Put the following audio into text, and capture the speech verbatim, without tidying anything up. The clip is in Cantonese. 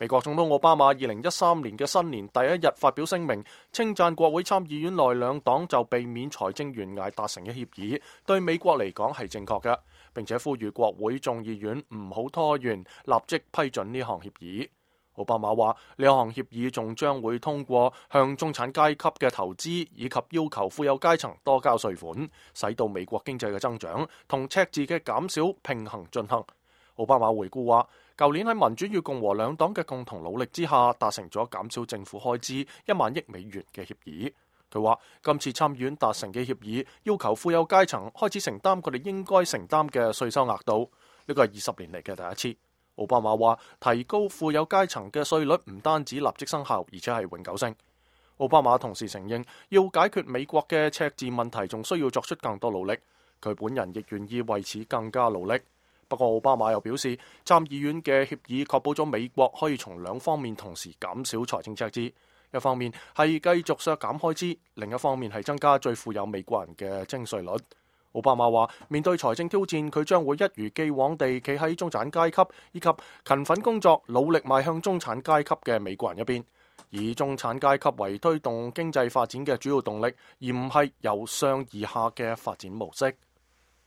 美國總統奧巴馬二零一三年嘅新年第一日發表聲明，稱讚國會參議院內兩黨就避免財政懸崖達成嘅協議，對美國嚟講係正確嘅，並且呼籲國會眾議院唔好拖延，立即批准呢項協議。奧巴馬話呢項協議仲將會通過向中產階級嘅投資，以及要求富有階層多交稅款，使到美國經濟嘅增長同赤字嘅減少平衡進行。奧巴馬回顧話，舊年喺民主與共和兩黨嘅共同努力之下，達成咗減少政府開支一萬億美元嘅協議。佢話今次參議院達成嘅協議，要求富有階層開始承擔佢哋應該承擔嘅稅收額度，呢個係二十年嚟嘅第一次。奧巴馬話提高富有階層嘅稅率唔單止立即生效，而且係永久性。奧巴馬同時承認，要解決美國嘅赤字問題，仲需要作出更多努力。佢本人亦願意為此更加努力。不過奧巴馬又表示，參議院嘅協議確保咗美國可以從兩方面同時減少財政赤字，一方面係繼續削減開支，另一方面係增加最富有美國人嘅徵稅率。奧巴馬話，面對財政挑戰，佢將會一如既往地企喺中產階級以及勤奮工作、努力邁向中產階級嘅美國人一邊，以中產階級為推動經濟發展嘅主要動力，而唔係由上而下嘅發展模式。